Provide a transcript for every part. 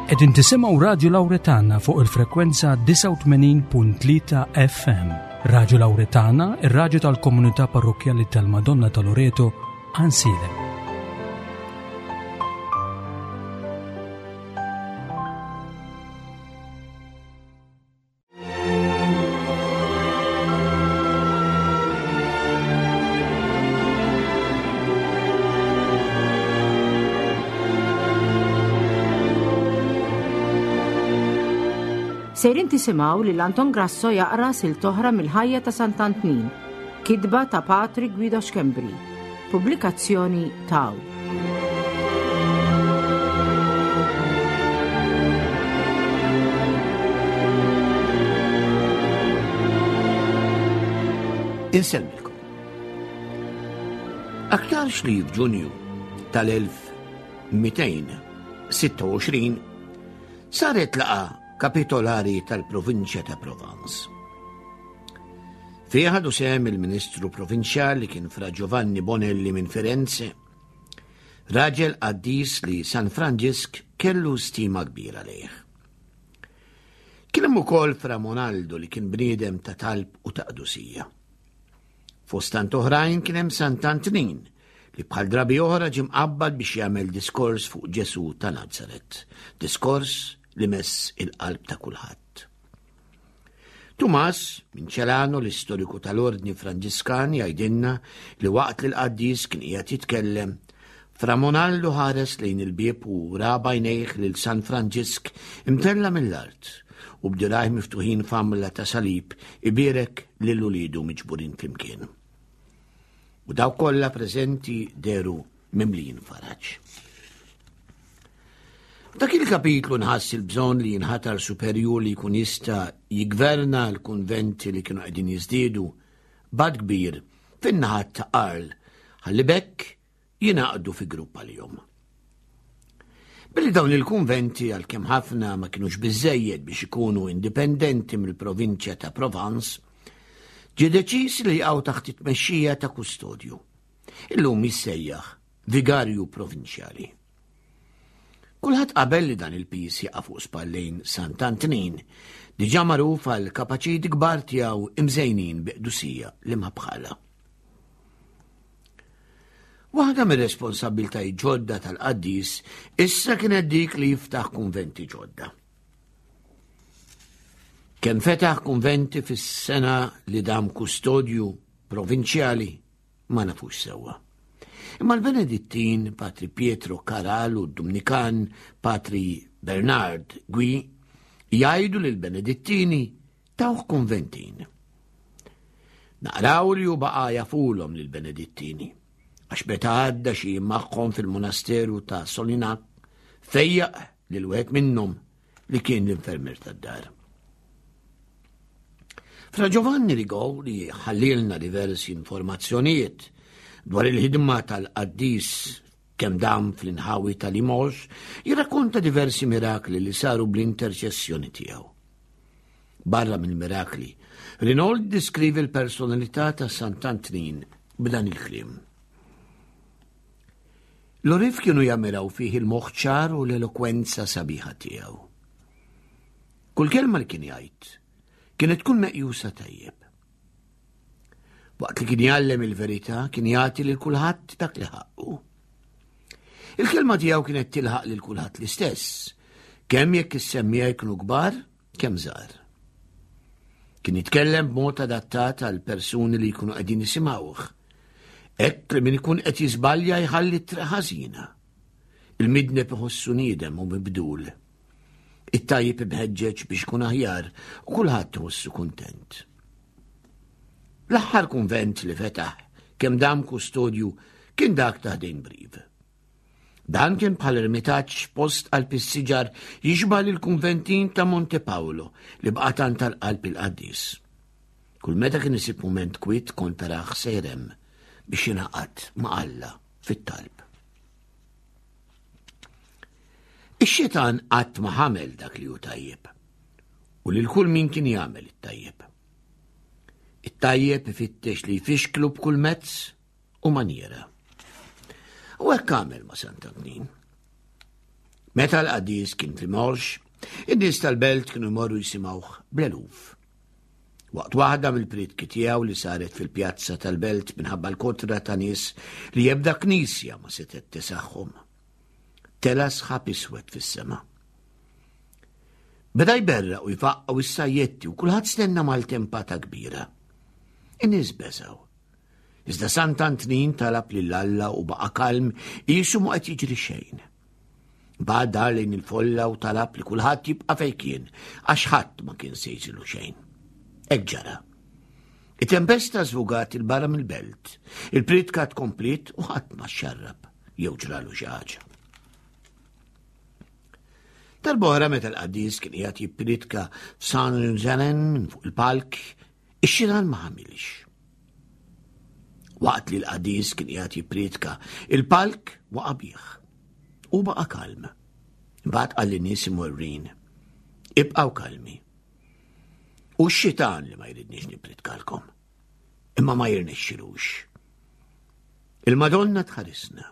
Qegħdin tisimgħu Radju Lawretana fuq il-frekwenza 89.3 FM. Radju Lawretana, ir-radju tal-komunità parrokkjali tal-Madonna ta' Loreto, Ansilem. Sejrin tisimgħu lil Anton Grasso jaqra silt oħra mill-ħajja ta' Sant'Antnin, kitba ta' Patri Guido Schembri, pubblikazzjoni Taw. Insellmilkom. Aktarx li f'Ġunju tal-1226 saret laqa kapitolari tal-provinċja ta' Provence. Fiha ħadu sehem il-Ministru Provinċjali li kien Fra Giovanni Bonelli minn Firenze, raġel qaddis li San Franġisk kellu stima kbira lejh. Kien hemm ukoll Fra Monaldo li kien bniedem ta' talb u ta' qdusija. Fost tant oħrajn kien hemm Sant'Antnin li bħal drabi oħra ġie mqabbad biex jagħmel diskors fuq Ġesù ta' Nazaret, diskors li mess il-qalb ta' kulħadd. Tumas, minn Celano, l-istoriku tal-Ordni Franġiskan, jgħidilna li waqt li l-qaddis kien qiegħed jitkellem, Fra Monaldo ħares lejn il-bieb u ra b'għajnejh lil San Franġisk imtella' mill-art u b'dirgħajh miftuħin f'għamla ta' salib ibierek lil uliedu miġburin flimkien. U dawk kollha preżenti dehru mimlijin faraġ. F'dak il-kapitlu nħass il-bżonn li jinħatar superjur li jkun jista' jiggverna l-kunventi li kienu qegħdin jiżdiedu b'għadd kbir fin-naħat ta' Arles ħalli b'hekk jingħaqdu fi grupp għalihom. Billi dawn il-kunventi għalkemm ħafna ma kinux biżżejjed biex ikunu indipendenti mill-provinċja ta' Provence, ġie deċiż li jaqgħu taħt it-tmexxija ta' kustodju. Illum jissejjaħ vigarju provinċjali. Kulħadd qabel li dan il-piż jaqa' fuq spallejn Sant'Antnin, diġà magħruf għal kapaċijiet kbar tiegħu imżejnin bi qdusija li ma bħalha. Waħda mir-responsabbiltajiet ġodda tal-qaddis issa kienet dik li jiftaħ kunventi ġodda. Kemm fetaħ kunventi fis-sena li dam kustodju provinċjali ma nafux sewwa. Imma l-Benedittin Patri Pietro Karal u d-Dumnikan Patri Bernard Gui jgħidu li l-Benedittini tawh kunventin. Naqraw li hu baqa' jafulhom lill-Benedittini, għax meta għadda xi jiem magħhom fil-monasteru ta' Solinak, fejjaq lil wieħed minnhom li kien l-infermier tad-dar. Fra Giovanni Rigo li ħallilna diversi informazzjonijiet dwar il-ħidma tal-qaddis kemm dam fl-inħawi tal-Imox, jirrakkonta diversi mirakli li saru bl-interċessjoni tiegħu. Barra mill-mirakli, Rinold diskrivi l-personalità ta' Sant'Antnin b'dan il-kliem. L-għorrief kienu jammiraw fih il-moħħ ċar u l-elokwenza sabiħa tiegħu. Kull kelma li kien jgħid kienet tkun meqjusa tajjeb. Waqt li kien jgħallem il-verità kien jagħti lil kulħadd dak li ħaqqu. Il-kelma tiegħu kienet tilħaq lil kulħadd l-istess, kemm jekk is-semmiegħa jkunu kbar, kemm żgħar. Kien jitkellem b'mod adattat għal persuni li jkunu qegħdin jisimgħuh. Hekk li min ikun qed jiżbalja jħalli t-triq ħażina. Il-midneb iħossu niedem u mibdul. It-tajjeb imħeġġeġ biex ikun aħjar u kulħadd iħossu kuntent. L-aħħar kunvent li fetaħ kemm dam kustodju kien dak ta' ħdejn Brive. Dan kien bħal ermitaġġ post qalb is-siġar jixbah lill-kunventin ta' Monte Paolo li baqa' tant għal qalb il-qaddis. Kull meta kien isib mument kwiet kont tarah sejr hemm biex jingħaqad ma' Alla fit-talb. Ix-xitan qatt ma ħamel dak li hu tajjeb u lil kull min kien jagħmel it-tajjeb. It-tajjeb ifittex li jfixklu b'kull mezz u manjiera. U hekk għamel ma' Sant'Antnin. Meta l-qaddis kien fi Morx, in-nies tal-belt kienu jmorru jisimgħuh bl-eluf. Waqt waħda mill-prietki tiegħu li saret fil-pjazza tal-belt minħabba l-kotra ta' nies li ebda knisja ma setgħet tisaħħhom. Tela sħab iswed fis-sema. Beda jberra u jfaqqgħu is-sajjetti u kulħadd stenna maltempata kbira. In-nies beżgħu. Iżda Sant'Antnin talab lil Alla u baqa' kalm qisu ma qed jiġri xejn. Bad dar lejn il-folla u talab li kulħadd jibqa' fejn kien għax ħadd ma kien se jiġrilu xejn. Hekk ġara. It-tempesta żvugat il barra mill-belt. Il-pritka tkompliet u ħadd ma xxarrab jew ġralu xi ħaġa. Darb'oħra meta l-qaddis kien qiegħed jippritka f'San Zenen minn fuq il-palk, ix-xitan ma ħamilx. Waqt li l-qaddis kien qiegħed jippritka, il-palk waqa' bih. U baqa' kalm. Imbagħad qal lin-nies imwerwrin, Ibqgħu kalmi. U x-xitan li ma jridniex nippritkalkom. Imma ma jirnexxilux. Il-Madonna tħarisna.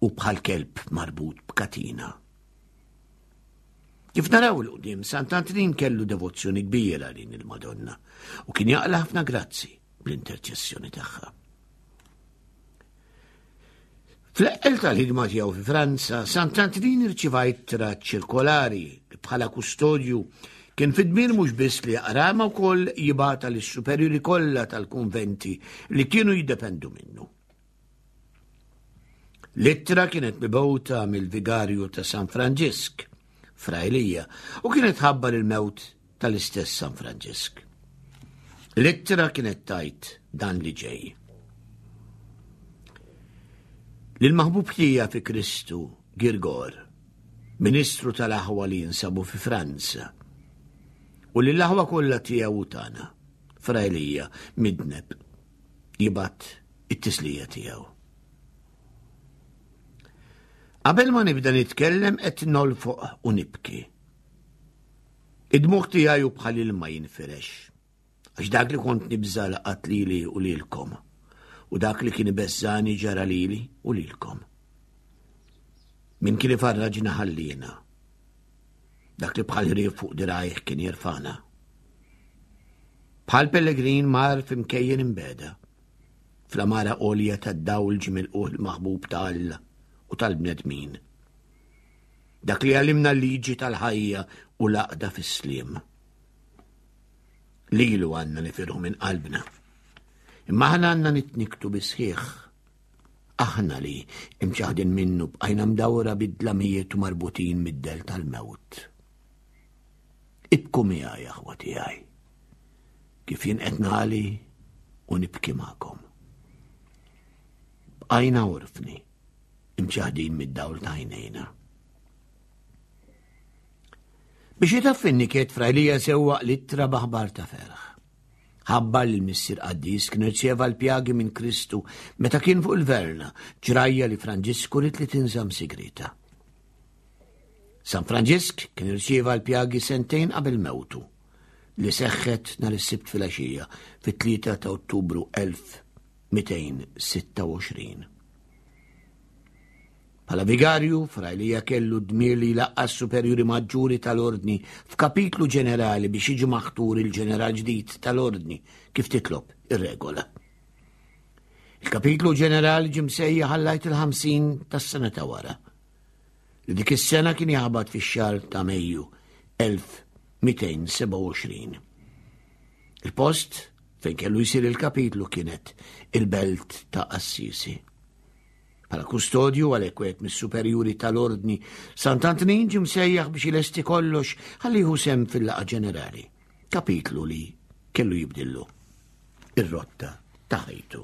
u bħal kelb marbut b'katina. Kif naraw il qudiem Sant'Antnin kellu devozzjoni kbira lejn il-Madonna u kien jaqla ħafna grazzi bl-interċessjoni tagħha. Fl-eqqel tal-ħidma tiegħu fi Franza, Sant'Antnin irċieva ittra ċirkolari li bħala kustodju kien fid-dmir mhux biss li jaqra ma wkoll jibgħatha lis-superjuri kollha tal-kunventi li kienu jiddependu minnu. L-ittra kienet mibgħuta mill-vigarju ta' San Franġisk, Fra Elija, u kienet ħabbar il-mewt tal-istess San Franġisk. L-ittra kienet tajt dan li ġej. Lil-maħbub ħija fi Kristu, Girgor, ministru tal-aħwa li jinsabu fi Franza, u lill-aħwa kollha tiegħu u tagħna, Fra Elija, midneb, jibgħat it-tislija tiegħu. Qabel ma nibda nitkellem qed nolfoq u nibki. Id-dmugħ tiegħi hu bħal ilma jinfirex. Għax dak li kont nibża laqat lili u lilkom. U dak li kien ibeżżani ġara lili u lilkom. Min kien ifarraġna ħallina. Dak li bħal ħrief fuq dirajh kien jirfana. Bħal pellegrin mar f'imkejjen imbeda. Fl-amara għolja tad-dawl ġie milqugħ il-maħbub ta' Alla u tal-bnedmin. Dak li għallimna l-liġi tal-ħajja u l-għaqda fis-sliem. Lilu għandna nifirħu minn qalbna. Imma aħna għandna nitniktu bisħiħ. Aħna li imċaħdin minnu bqajna mdawra bid-dlamijiet u marbutin mid-del tal-mewt. Ibku miegħi, aħwa tiegħi, kif jien qed nagħli u nibki magħkom. Bqajna orfni, imċaħdin mid-dawl ta' għajnejna. Biex itaffi n-niket Fra Elija sewwaq l-ittra b'aħbar ta' ferħ. Ħabbar li l-Missier Qaddis kien irċieva l-pjagi minn Kristu meta kien fuq il-Verna, ġrajja li Franġisku ried li tinżamm sigrieta. San Franġisk kien irċieva l-pjagi sentejn qabel mewtu, li seħħet nhar is-Sibt filgħaxija fit-3 ta' Ottubru 1226. Bħala vigarju, Fra Elija kellu d-dmir li jlaqqa' s-superjuri maġġuri tal-Ordni f'kapitlu ġenerali biex jiġi maħtur il-ġeneral ġdid tal-Ordni, kif titlob ir-regola. Il-kapitlu ġenerali ġie msejjaħ għall-Għid il-50 tas-sena ta' wara, li dik is-sena kien jaħbat fix-xahar ta' Mejju 1227. Il-post fejn kellu jsir il-kapitlu kienet il-belt ta' Assisi. Bħala kustodju għalhekk wieħed mis-superjuri tal-Ordni, Sant'Antnin ġie msejjaħ biex ilesti kollox ħalli jieħu sehem fil-laqgħa ġenerali, kapitlu li kellu jibdillu ir-rotta ta' ħajtu.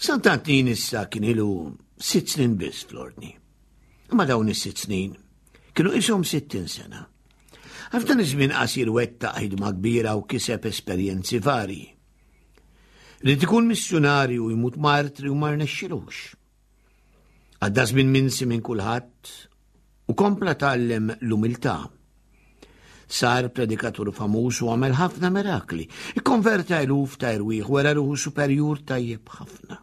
Sant'Antnin issa kien ilu sitt snin biss fl-Ordni. Imma dawn is-sitt snin kienu qishom 60 sena. Għal f'dan iż-żmien qasir wettaq ħidma kbira u kiseb esperjenzi varji. Ried ikun missjunarju u jmut martri u ma rnexxilux. Għadda żmien minsi minn kulħadd u kompla tgħallem l-umiltà. Sar predikatur famuż u għamel ħafna mirakli. Ikkonverta eluf ta' erwieħ wera ruħu superjur tajjeb ħafna.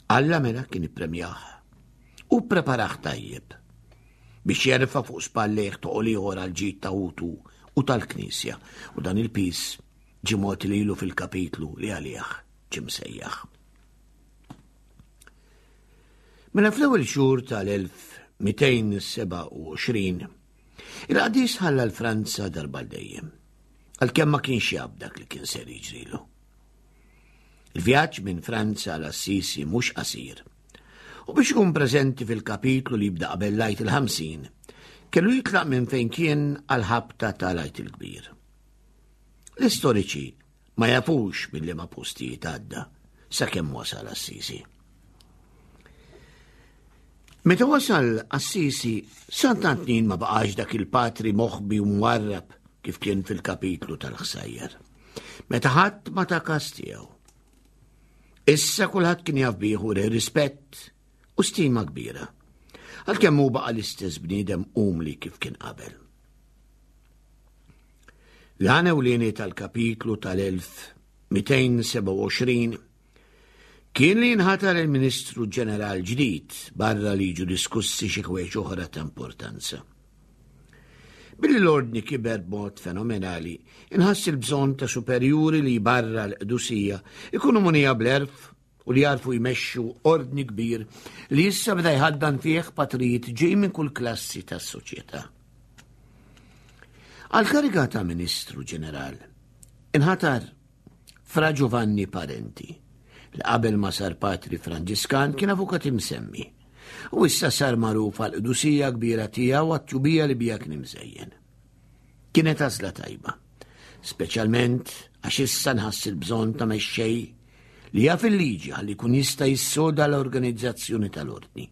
Alla mela kien ippremjah u ppreparah tajjeb biex jerfa' fuq spallejh toqol ieħor għall-ġid ta' ħutu u tal-Knisja u dan il-piż ġie mogħti lilu fil-kapitlu li għalih ġie msejjaħ. Mela fl-ewwel xhur tal-1227 il-qaddis ħalla l-Franza darba dejjem, għalkemm ma kienx jaf dak li kien ser jiġrilu. Il-vjaġġ minn Franza għal Assisi mhux qasir. U biex ikun preżenti fil-kapitlu li jibda qabel l-Għid il-50, kellu jitlaq minn fejn kien għal-ħabta tal-Għid il-Kbir. L-istoriċi ma jafux minn liema postijiet għadda sakemm wasal Assisi. Meta wasal Assisi, Sant'Antnin ma baqax dak il-patri moħbi u mwarrab kif kien fil-kapitlu tal-ħsajjar. Meta ħadd ma ta' kas tiegħu. Issa kulħadd kien jaf bih u rispett u stima kbira. Għalkemm hu baqa' l-istess bniedem umli kif kien qabel. L-għan ewlieni tal-kapitlu tal-1227 kien li jinħatar il-Ministru Ġeneral ġdid barra li jiġu diskussi xi ħwejġ oħra ta' importanza. Billi l-ordni kiber b'mod fenomenali, inħass il-bżonn ta' superjuri li barra l-qdusija ikunu munija bl-erf u li jarfu jmexxu ordni kbir li issa beda jħaddan fih patrijiet ġej minn kull klassi tas-soċjetà. Għal-kariga ta' Ministru Ġeneral, inħatar Fra Giovanni Parenti, li qabel ma sar patri Franġiskan kien avukat imsemmi, u issa sar magħruf għal qdusija kbira tiegħu għat-tjubija li bija kien imżejjen. Kienet għażla tajba, speċjalment għax issa nħass il-bżonn ta' mexxej li jaf il-liġi ħalli jkun jista' jissoda l-organizzazzjoni tal-ordni.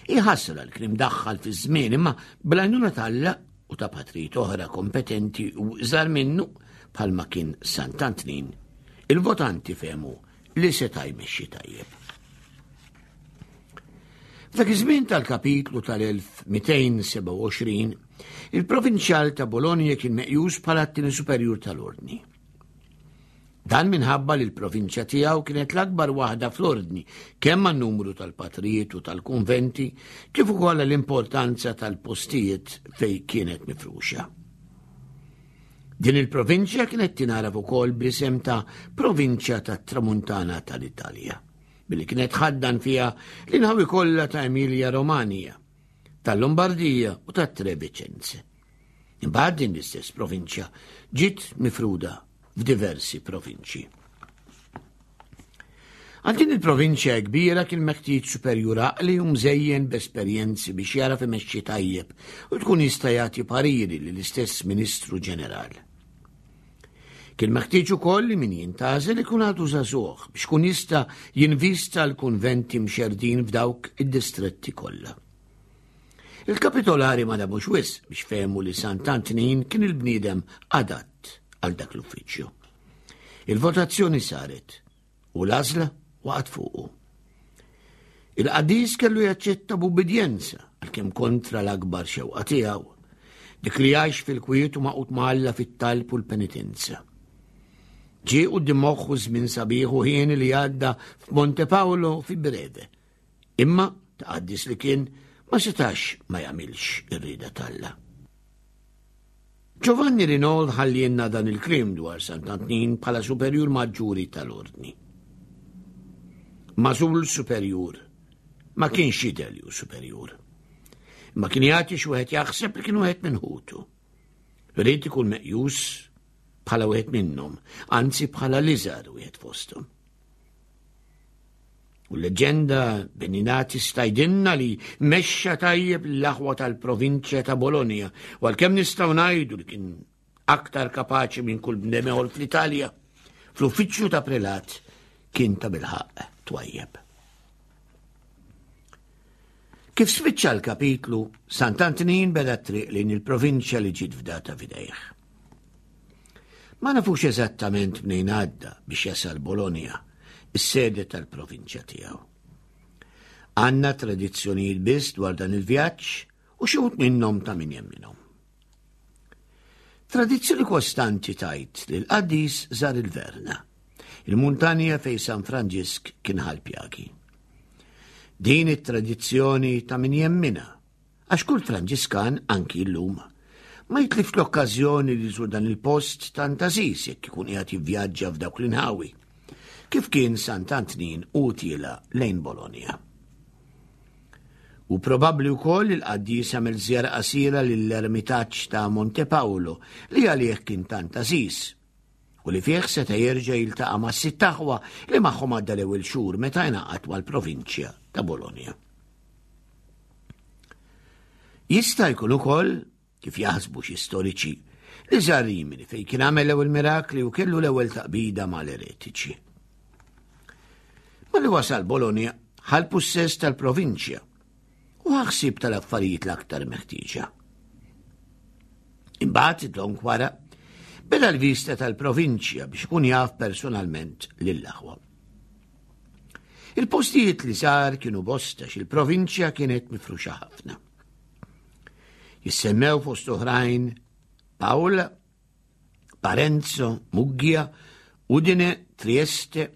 Hi ħasra li kien imdaħħal fiż-żmien imma bl-għajnuna t'Alla u ta' patrijiet oħra kompetenti u iżgħar minnu bħalma kien Sant'Antnin, il-votanti fehmu li seta' jmexxi tajjeb. F'dak iż-żmien tal-kapitlu tal-1227, il-provinċjal ta' Bologna kien meqjus bħala t-tieni superjur tal-ordni. Dan minħabba li l-provinċja tiegħu kienet l-akbar waħda fl-ordni, kemm għan-numru tal-patrijiet u tal-kunventi, kif ukoll l-importanza tal-postijiet fejn kienet mifruxa. Din il-provinċja kienet tingħaraf ukoll bl-isem ta' Provinċja tat-Tramuntana tal-Italja, billi kienet ħaddan fiha l-inħawi kollha ta' Emilia Romagna, tal-Lombardija u tat-Trevicenze. Imbagħad din l-istess provinċja ġiet mifruda f'diversi provinċji. Għal din il-provinċja kbira kien meħtieġ superjur għaqli u mżejjen b'esperjenzi biex jaraf imexxi tajjeb u tkun jista' jagħti pariri lill-istess Ministru Ġeneral. Kien meħtieġ ukoll li min jintgħażel ikun għadu żagħżugħ biex kun jista' jinvista l-kunventi mxerdin f'dawk id-distretti kollha. Il-kapitolari ma damux wisq biex fehmu li Sant'Antnin kien il-bniedem adatt għal dak l-uffiċċju. Il-votazzjoni saret u l-għażla waqgħet fuqu. Il-qaddis kellu jaċċetta b'ubbidjenza għalkemm kontra l-akbar xewqa tiegħu, dik li jgħix fil-kwiet u maqut ma' Alla fit-talb u l-penitenza. Ġie quddiem moħħu żmien sabiħ u ħieni li għadda f'Monte Paolo fi Breve, Imma ta' qaddis li kien ma setax ma jagħmilx ir-rieda t'Alla. Giovanni Rinol ħallielna dan il-kliem dwar Sant'Antnin bħala superjur maġġuri tal-ordni. Mażul superjur ma kienx jidher li hu superjur. Imma kien jagħti xi wieħed jaħseb li kien wieħed minn ħutu. Ried ikun meqjus bħala wieħed minnhom, anzi bħala l-iżgħar wieħed fosthom. U l-leġenda Beninati stajdinna li mexxa tajjeb l-aħwa tal-provinċja ta' Bologna, u għalkemm nistgħu ngħidu li kien aktar kapaċi minn kull bnedem ieħor fl-Italja, fl-uffiċċju ta' prelat kien ta' bilħaqq twajjeb. Kif spiċċa l-kapitlu, Sant'Antnin beda t-triq lejn il-provinċja li ġiet fdata f'idejh. Ma nafux eżattament mnejn għadda biex jasal Bologna, is-sede tal-provinċja tiegħu. Għandna tradizzjonijiet biss dwar dan il-vjaġġ u xi wħud minnhom ta' min jemminhom. Tradizzjoni kostanti tajt li l-qaddis żar il-Verna. il-muntanja fejn San Franġisk kien ħa l-pjagi. Din it-tradizzjoni ta' min jemminha, għax kull Franġiskan anki llum ma jitlifx l-okkażjoni li jżur dan il-post tant għażiż jekk ikun qiegħed jivvjaġġa f'dawk l-inħawi, kif kien Sant'Antnin u tiela lejn Bologna. U probabbli wkoll li l-qaddis għamel żjara qasira lill-ermitaġġ ta' Monte Paolo li għalih kien tant għażiż u li fih seta' jerġa' jiltaqa' mas-sitt aħwa li magħhom għadda l-ewwel xhur meta ingħaqad mal-provinċja ta' Bologna. Jista' jkun ukoll, kif jaħsbu xi storiċi, li żar Rimini fejn kien għamel l-ewwel mirakli u kellu l-ewwel taqbida mal-eretiċi. Malli wasal Bologna, ħa l-pussess tal-provinċja u ħa ħsieb tal-affarijiet l-aktar meħtieġa. Imbagħad dlonk wara beda l-vista tal-provinċja biex ikun jaf personalment lill-aħwa. Il-postijiet li sar kienu bosta xil-provinċja kienet mifruxa ħafna. Jissemmew fost oħrajn Pawl, Parenzo, Muggia, Udine, Trieste,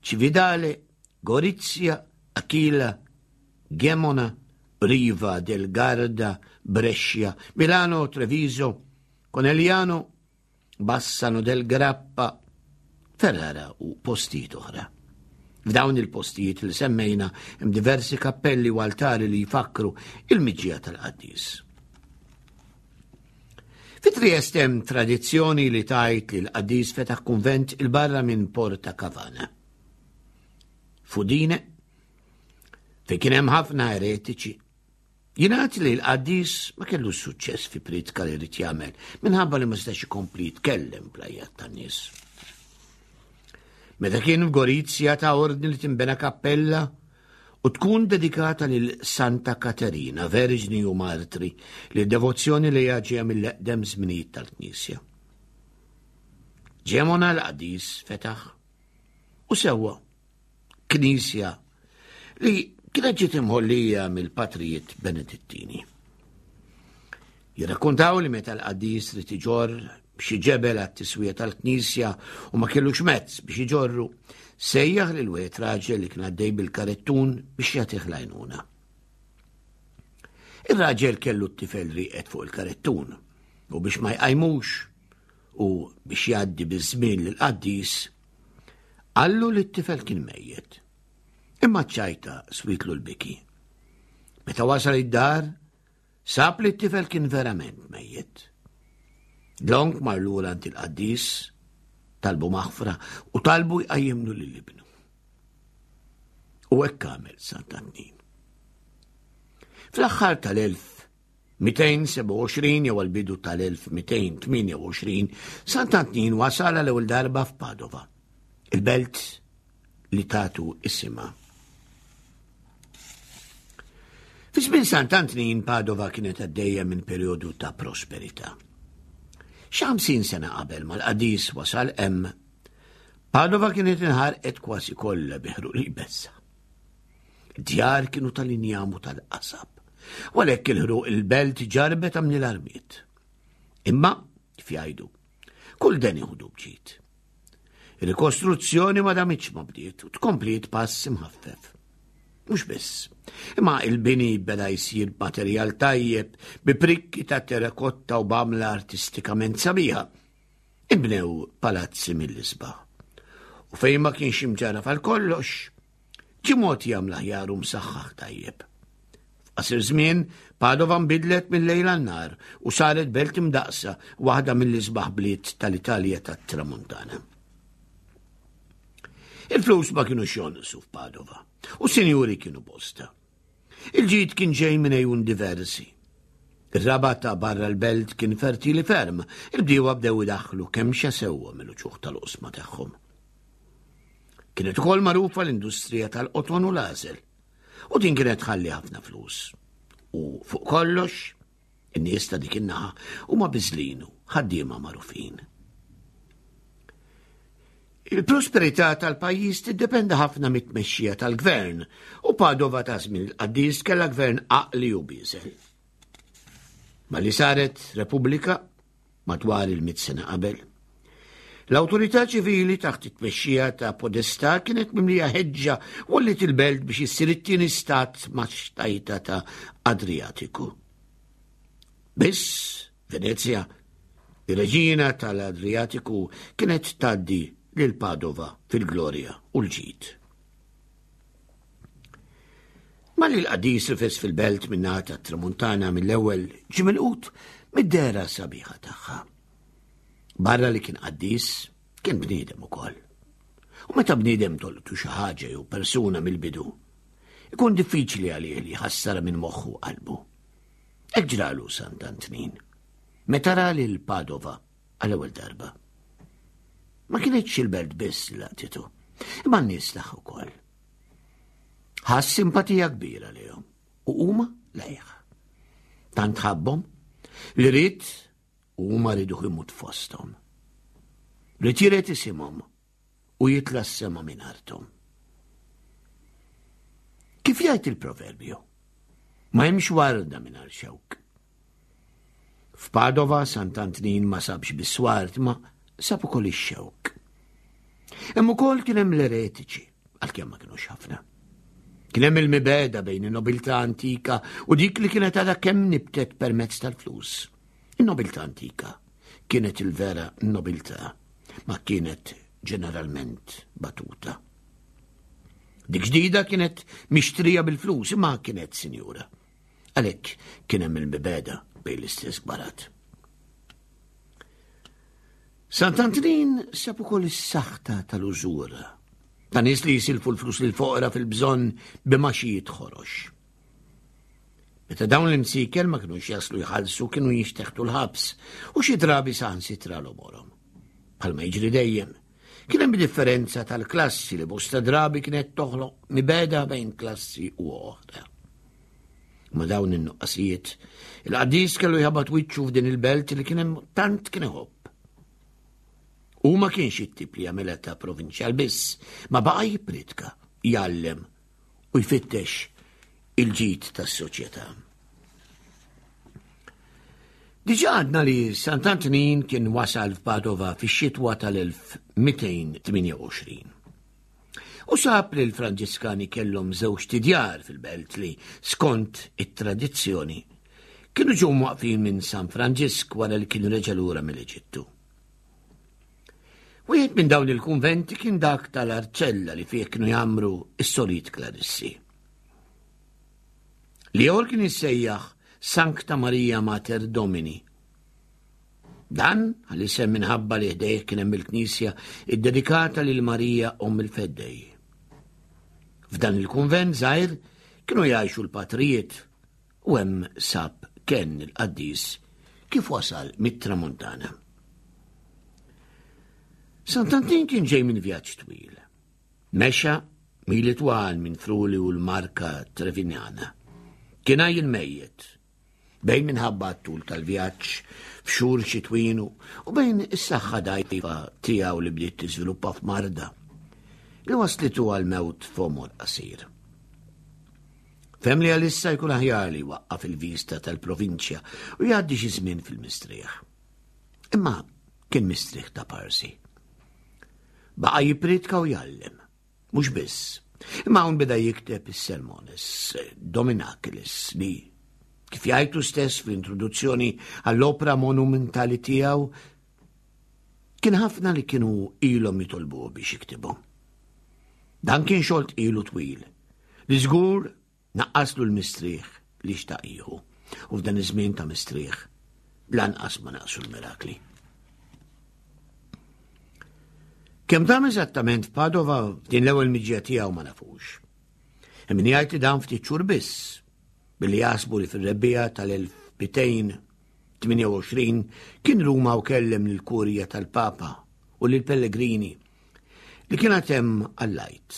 Cividale, Gorizia, Aquila, Gemona, Riva del Garda, Brescia, Milano, Treviso, Conegliano, Bassano del Grappa, Ferrara u postijiet oħra. F'dawn il-postijiet li semmejna hemm diversi kappelli u altari li jfakkru il-miġja tal-qaddis. Fi Trieste hemm tradizzjoni li tgħid li l-qaddis fetaħ kunvent il-barra minn Porta Cavana. Fudine, fejn kien hemm ħafna eretiċi, Jingħad li l-qaddis ma kellux suċċess fi priedka li rid jagħmel minħabba li ma setax ikompli jitkellem bl-għajjat tan-nies. Meta kien f'Gorizja ta ordni li tinbena kappella u tkun dedikata lil Santa Katerina, Verġni u Martri, li d-devozzjoni li ġejja mill-eqdem żminijiet tal-Knisja. Ġemona l-qaddis fetaħ u sewwa knisja li kienet ġiet imħollija mill-patrijiet Benedittini. Jirrakkontaw li meta l-qaddis rid iġorr xi ġebel għat-tiswija tal-knisja u ma kellux mezz biex iġorru, sejjaħ lil wieħed raġel li kien għaddej bil-karettun biex jagħtih l-għajnuna. Ir-raġel kellu t-tifel rieqed fuq il-karettun u biex ma jqajmux u biex jgħaddi biż-żmien lill-qaddis, Qallu li t-tifel kien mejjet. Imma ċ-ċajta switlu l-biki. Meta wasal id-dar, sab li t-tifel kien verament mejjet. Dlonk mar lura għand il-qaddis, talbu maħfra u talbu jqajjimlu lil ibnu. U hekk għamel Sant'Antnin. Fl-aħħar tal-1000 227 jew għall-bidu tal-1228, Sant'Antnin wasal għal ewwel darba f'Padova, il-belt li tatu isimha. Fi żmien Sant'Antnin Padova kienet għaddejja minn perjodu ta' prosperità. Xi 50 sena qabel mal-qadis wasal hemm, Padova kienet inħarqet kważi kollha bi ħruq li jbessa. Djar kienu tal-injam u tal-qasab. U għalhekk il-ħruq il-belt ġarbet għamni l-armiet. Imma, kif jgħidu, kull den iħudu bġid. Il-rikostruzzjoni ma damitx ma bdiet u tkompliet pass imħaffef. Mhux biss, imma il-bini beda jsir b'materjal tajjeb, bi prikki ta' terrakotta u b'għamla artistikament sabiħa. Inbnew palazzi mill-isbaħ. U fejn ma kienx imġarraf għal kollox, ġie mogħti għamla aħjar u msaħħaħ tajjeb. F'qasir żmien, Padova nbidlet mil-lejl għan-nhar u saret belt imdaqqsa, waħda mill-isbaħ bliet tal-Italja tat-Tramuntana. Il-flus ma kinux jonqsu f'Padova u sinjuri kienu bosta. Il-ġid kien ġej minn għejun diversi. Ir-raba' ta' barra l-belt kien fertili ferm, il-bdiewa bdew idaħħlu kemxa sewwa mill-uċuħ tal-oqsma tagħhom. Kienet ukoll magħrufa l-industrija tal-qoton u l-għażel, u din kienet tħalli ħafna flus. U fuq kollox, In-nies ta' dik in-naħa huma biżlin u ħaddiema magħrufin. Il-prosperità tal-pajjiż tiddependi ħafna mit-tmexxija tal-gvern u Padova ta' żmien il-qaddis kellha gvern għaqli u bieżel. Malli saret Repubblika madwar il-mit sena qabel. L-awtorità ċivili taħt it-tmexxija ta' Podestà kienet mimlija ħeġġa wallit il-belt biex issir it-tieni stat max-xtajta ta' Adriatiku. Biss Venezja, ir-reġina tal-Adriatiku kienet tgħaddi lil Padova fil-glorja u l-ġid. Malli l-qaddis rifes fil-belt min-naħa tat-Tramuntana mill-ewwel ġie milqut mid-dehra sabiħa tagħha. Barra li kien qaddis, kien bniedem ukoll. U meta bniedem tolqtu xi ħaġa jew persuna mill-bidu, ikun diffiċli għalih li jħassarha minn moħħu u qalbu. Hekk ġralu Sant'Antnin. Meta ra lil Padova għall-ewwel darba. Ma kienitx il-belt biss li laqtitu, imma n-nies tagħha wkoll. Ħass simpatija kbira lejhom u huma lejh. Tant ħabbhom li ried u huma riduh imut fosthom. Ried jiret isimhom u jitla' s-sema minn arthom. Kif jgħid il-proverbju? Ma hemmx warda mingħajr xewk. F'Padova Sant'Antnin ma sabx biss ward ma sab ukoll ix-xewk. Hemm ukoll kien hemm l-eretiċi, għalkemm ma kinux ħafna. Kien hemm il-mibeda bejn in-nobiltà antika u dik li kienet għadha kemm nibtet permezz tal-flus. In-nobiltà antika kienet il-vera nobiltà, ma kienet ġeneralment batuta. Dik ġdida kienet mixtrija bil-flus imma kienet sinjura. Għalhekk kien hemm il-mibeda bejn l-istess kbarat. Sant'Antnin sab ukoll is-saħta tal-użura ta' nies li jisilfu l-flus lil foqra fil-bżonn b'maxijiet ħorox. Meta dawn l-imsieker ma kinux jaslu jħallsu kienu jinxteħtu l-ħabs u xi drabi saħansitra l-omorhom. Bħalma jiġri dejjem, kien hemm differenza tal-klassi li bosta drabi kienet toħloq mibeda bejn klassi u oħra. Ma dawn in-nuqqasijiet, il-qaddis kellu jħabat wiċċu f'din il-belt li kien hemm tant kien iħobb. U ma kienx it-tip li jagħmilha ta' provinċjal biss, ma baqa' jippritka, jgħallem u jfittex il-ġid tas-soċjetà. Diġà għadna li Sant'Antnin kien wasal f'Padova fix-xitwa tal-1228. U sab li l-Franġiskani kellhom żewġ tidjar fil-belt li, skont it-tradizzjoni, kienu ġew mwaqfin minn San Franġisk wara li kien reġa' lura mill-Eġittu. Wieħed minn dawn il-kunventi kien dak tal-Arċella li fih kienu jgħammru s-Solit Klarissi. L-ieħor kien jissejjaħ Sancta Maria Mater Domini. Dan għal-isem minħabba li ħdejh kien hemm il-knisja iddedikata lil Marija Omm il-Feddej. F'dan il-kunvent żgħir kienu jgħixu l-patrijiet U hemm sab kenn il-qaddis kif wasal mit-tramuntana. Sant'Antin kien ġej minn vjaġġ twil. Mexa mili twal minn Fruli u l-Marka Trevinjana. Kien għaj il-mejjet, bejn minħabba t-tul tal-vjaġġ f'xhur xitwinu u bejn is-saħħa dajfa tiegħu li bdiet tiżviluppa f'marda li waslitu għal mewt f'għomor qasir. Fehem li għalissa jkun aħjar li jwaqqaf il-vista tal-provinċja u jgħaddi xi żmien fil-mistrieħ. Imma kien mistrieħ ta' parsi. Baqa' jippriedka u jgħallem. Mhux biss. Imma hawn beda jikteb is-sermones Dominacilis li kif jgħidu stess fl-introduzzjoni għall-opra monumentali tiegħu kien ħafna li kienu ilhom jitolbuh biex jiktibhom. Dan kien xogħol tqil u twil, li żgur naqqaslu l-mistrieħ li xtaq jieħu. U f'dan iż-żmien ta' mistrieħ, lanqas ma naqsu l-mirakli. Kemm dam eżattament f'Padova f'din l-ewwel miġja tiegħu ma nafux. Hemm min jgħid li dan ftit xhur biss, billi jaħsbu li fir-rebbiegħa tal-1228 kien Ruma u kellem lill-kurja tal-Papa u lill-pellegrini li kien għad hemm għall-Għid.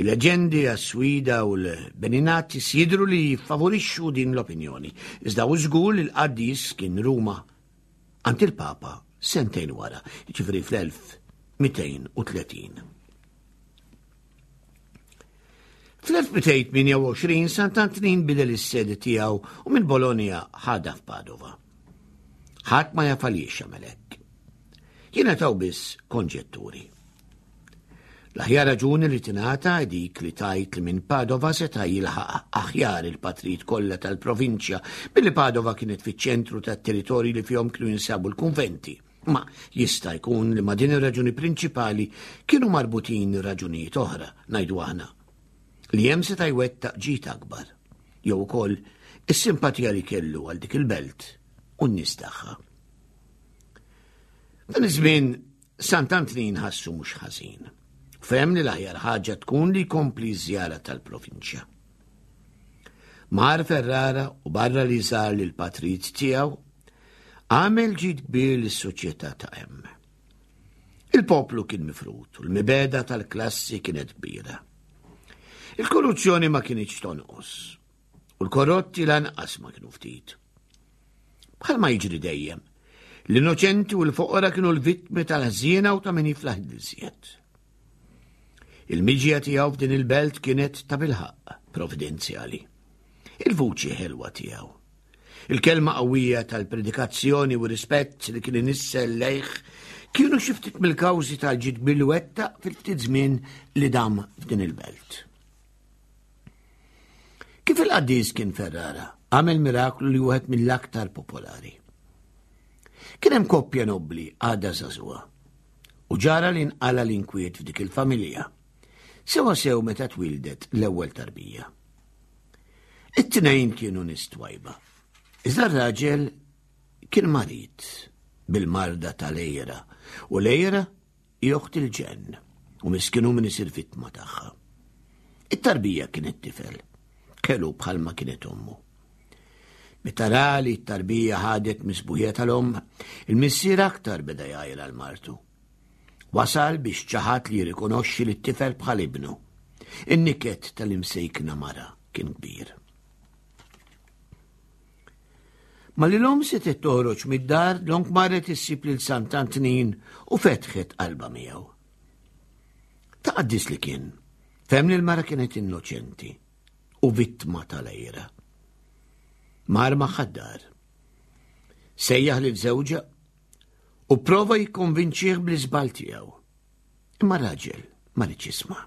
Il-leġendi għas-Swida u l-Beninatis jidhru li jiffavorixxu din l-opinjoni, iżda hu żgur li l-qaddis kien Ruma għand il-Papa sentejn wara, jiġifieri fl-1230. Fl-1228 Sant'Antnin bidel is-sede tiegħu u minn Bologna ħadha f'Padova. Ħadd ma jaf għaliex għamel hekk. Jingħataw biss konġetturi. L-aħjar raġuni li tingħata hi dik li tgħid li minn Padova seta' jilħaq aħjar il-patrijiet kollha tal-provinċja billi Padova kienet fiċ-ċentru tat-territorji li fihom kienu jinsabu l-kunventi. Ma jista' jkun li ma' din ir-raġuni prinċipali kienu marbutin raġunijiet oħra, ngħidu aħna, li hemm seta' jwettaq ġid akbar, jew ukoll is-simpatija li kellu għal dik il-belt u n-nies tagħha. Dan iż-żmien Sant'Antnin ħassu mhux ħażin. Fehem li l-aħjar ħaġa tkun li jkompli ż-żjara tal-provinċja. Mar Ferrara u barra li żar lil patrijiet tiegħu, għamel ġid kbir lis-soċjetà ta' hemm. Il-poplu kien mifrut u l-mibeda tal-klassi kienet kbira. Il-korruzzjoni ma kienx tonqos u l-korrotti lanqas ma kienu ftit. Bħalma jiġri dejjem, l-innoċenti u l-foqra kienu l-vittmi tal-ħżiena u ta' min jiflaħ iżjed. Il-miġja tiegħu f'din il-belt kienet ta' bilħaqq providenzjali. Il-vuċi ħelwa tiegħu. Il-kelma qawwija tal-predikazzjoni u rispett li kien inissel lejh kienu xi ftit mill-kawżi tal-ġid bil-wettaq fil-ftit żmien li dam f'din il-belt. Kif il-qaddis kien Ferrara, għamel miraklu li wieħed mill-aktar popolari. Kien hemm koppja nobbli għadha żagħżugħa u ġara li nqala l-inkwiet f'dik il-familja. Sewa sew meta twildet l-ewwel tarbija. It-tnejn kienu nies twajba. Iżda r-raġel kien marid bil-marda tal-ejra u l-ejra Hi oħt il-ġenn u miskin hu min isir vittma tagħha. It-tarbija kienet tifel, kellu bħalma kienet ommu. Meta ra li t-tarbija ħadet misbuħija tal-omm, il-missier aktar beda jgħajra l-martu. Wasal biex ċaħat li jirrikonoxxi li t-tifel bħal ibnu. In-niket tal-imsejkna mara kien kbir. Malli l-omm setgħet toħroġ mid-dar, dlonk marret issib lil Sant'Antnin u fetħet qalbha miegħu. Ta' qaddis li kien, fehem li l-mara kienet innoċenti u vittma tal-għira. Mar magħha d-dar. Sejjaħ lil żewġha u prova jikkonvinċih bl-iżball tiegħu. Imma raġel ma riedx jisma'.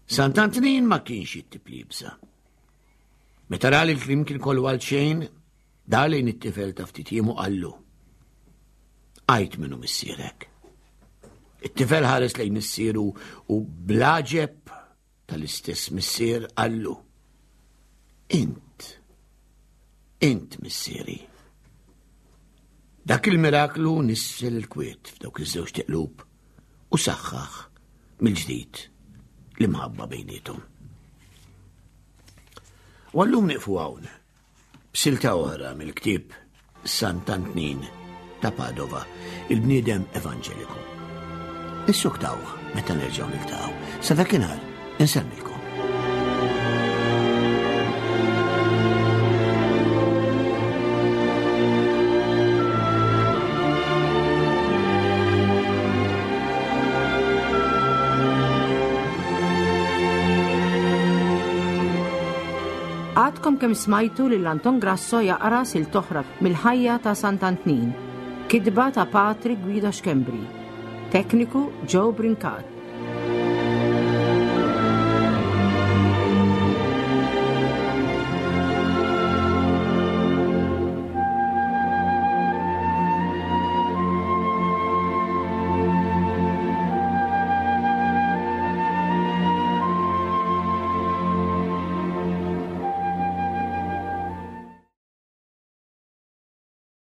Sant'Antnin ma kienx it-tip li jibża'. Meta ra li l-kliem kien kollu għal xejn, dar lejn it-tifel ta' ftit jiem u qallu. Għajt minnu missierek. It-tifel ħares lejn missieru u blaġeb tal-istess missier qallu. Int, int missieri. Dak il-miraklu nissel il-kwiet f'dawk iż-żewġ tiqlub u saħħaħ mill-ġdid l-imħabba bejniethom. U għallum nieqfu hawn b'silta oħra mill-ktieb Sant'Antnin ta' Padova, il-bniedem evanġeliku. Issuktaw meta nerġgħu niltaqgħu. Sa dakinhar insellmilkom. Għadkom kemm smajtu lil Anton Grasso jaqra silta oħra mill-ħajja ta' Sant'Antnin. Kitba ta' Patri Guido Schembri. Tekniku Joe Brincat.